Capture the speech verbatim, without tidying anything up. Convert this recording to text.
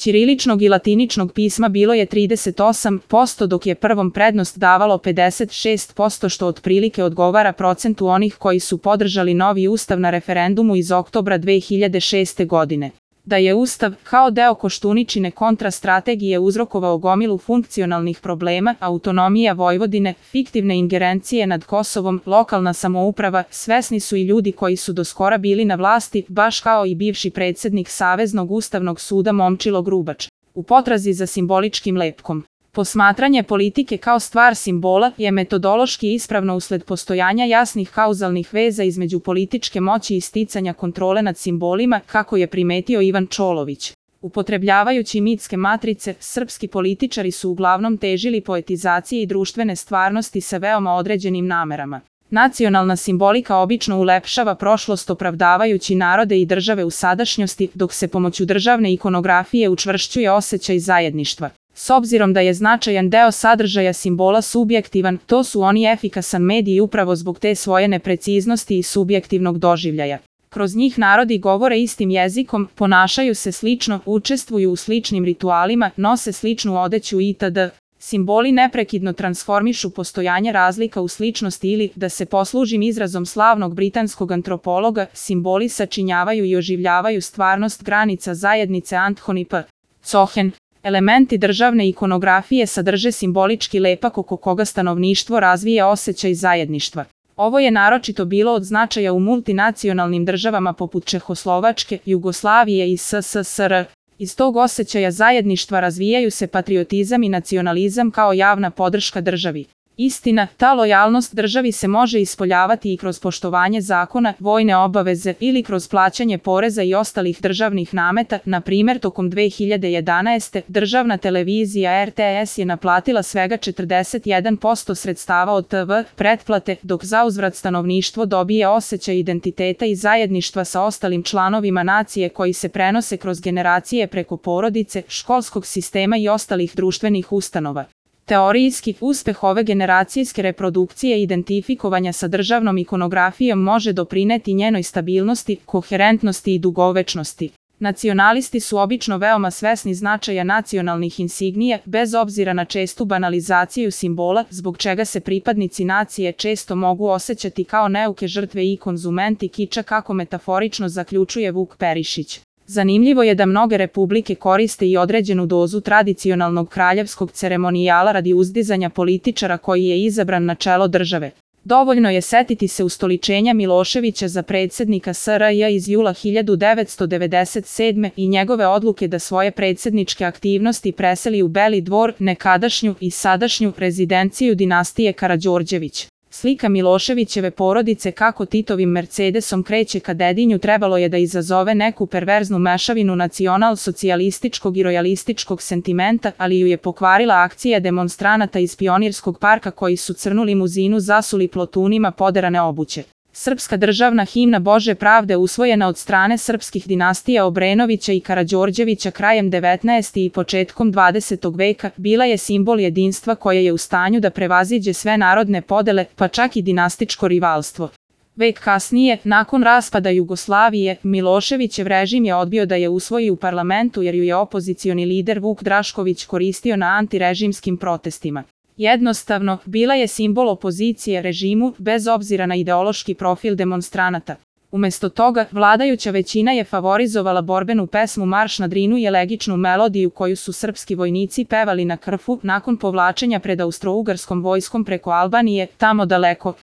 ćiriličnog i latiničnog pisma bilo je trideset osam posto dok je prvom prednost davalo pedeset šest posto što otprilike odgovara procentu onih koji su podržali novi ustav na referendumu iz oktobra dve hiljade šeste godine. Da je ustav, kao deo Koštuničine kontrastrategije uzrokovao gomilu funkcionalnih problema, autonomija Vojvodine, fiktivne ingerencije nad Kosovom, lokalna samouprava, svesni su i ljudi koji su doskora bili na vlasti, baš kao i bivši predsednik Saveznog ustavnog suda Momčilo Grubač. U potrazi za simboličkim lepkom. Posmatranje politike kao stvar simbola je metodološki ispravno usled postojanja jasnih kauzalnih veza između političke moći i sticanja kontrole nad simbolima, kako je primetio Ivan Čolović. Upotrebljavajući mitske matrice, srpski političari su uglavnom težili poetizaciji društvene stvarnosti sa veoma određenim namerama. Nacionalna simbolika obično ulepšava prošlost opravdavajući narode i države u sadašnjosti, dok se pomoću državne ikonografije učvršćuje osjećaj zajedništva. S obzirom da je značajan deo sadržaja simbola subjektivan, to su oni efikasan medij upravo zbog te svoje nepreciznosti i subjektivnog doživljaja. Kroz njih narodi govore istim jezikom, ponašaju se slično, učestvuju u sličnim ritualima, nose sličnu odeću itd. Simboli neprekidno transformišu postojanje razlika u sličnosti ili, da se poslužim izrazom slavnog britanskog antropologa, simboli sačinjavaju i oživljavaju stvarnost granica zajednice Anthony P. Cohen. Elementi državne ikonografije sadrže simbolički lepak oko koga stanovništvo razvija osjećaj zajedništva. Ovo je naročito bilo od značaja u multinacionalnim državama poput Čehoslovačke, Jugoslavije i S S S R. Iz tog osjećaja zajedništva razvijaju se patriotizam i nacionalizam kao javna podrška državi. Istina, ta lojalnost državi se može ispoljavati i kroz poštovanje zakona, vojne obaveze ili kroz plaćanje poreza i ostalih državnih nameta. Na primjer, tokom dve hiljade jedanaeste. državna televizija R T S je naplatila svega četrdeset jedan posto sredstava od T V pretplate, dok zauzvrat stanovništvo dobije osjećaj identiteta i zajedništva sa ostalim članovima nacije koji se prenose kroz generacije preko porodice, školskog sistema i ostalih društvenih ustanova. Teorijski, uspeh ove generacijske reprodukcije i identifikovanja sa državnom ikonografijom može doprineti njenoj stabilnosti, koherentnosti i dugovečnosti. Nacionalisti su obično veoma svesni značaja nacionalnih insignija, bez obzira na čestu banalizaciju simbola, zbog čega se pripadnici nacije često mogu osjećati kao neuke žrtve i konzumenti kiča, kako metaforično zaključuje Vuk Perišić. Zanimljivo je da mnoge republike koriste i određenu dozu tradicionalnog kraljevskog ceremonijala radi uzdizanja političara koji je izabran na čelo države. Dovoljno je setiti se ustoličenja Miloševića za predsjednika S R J iz jula hiljadu devetsto devedeset sedme. i njegove odluke da svoje predsjedničke aktivnosti preseli u Beli dvor, nekadašnju i sadašnju rezidenciju dinastije Karađorđević. Slika Miloševićeve porodice kako Titovim Mercedesom kreće ka Dedinju trebalo je da izazove neku perverznu mešavinu nacional-socijalističkog i rojalističkog sentimenta, ali ju je pokvarila akcija demonstranata iz Pionirskog parka koji su crnu limuzinu zasuli plotunima poderane obuće. Srpska državna himna Bože pravde usvojena od strane srpskih dinastija Obrenovića i Karađorđevića krajem devetnaestog i početkom dvadesetog veka bila je simbol jedinstva koje je u stanju da prevaziđe sve narodne podele, pa čak i dinastičko rivalstvo. Vek kasnije, nakon raspada Jugoslavije, Miloševićev režim je odbio da je usvoji u parlamentu jer ju je opozicioni lider Vuk Drašković koristio na antirežimskim protestima. Jednostavno, bila je simbol opozicije režimu, bez obzira na ideološki profil demonstranata. Umesto toga, vladajuća većina je favorizovala borbenu pesmu Marš na Drinu i elegičnu melodiju koju su srpski vojnici pevali na Krfu nakon povlačenja pred austrougarskom vojskom preko Albanije, tamo daleko.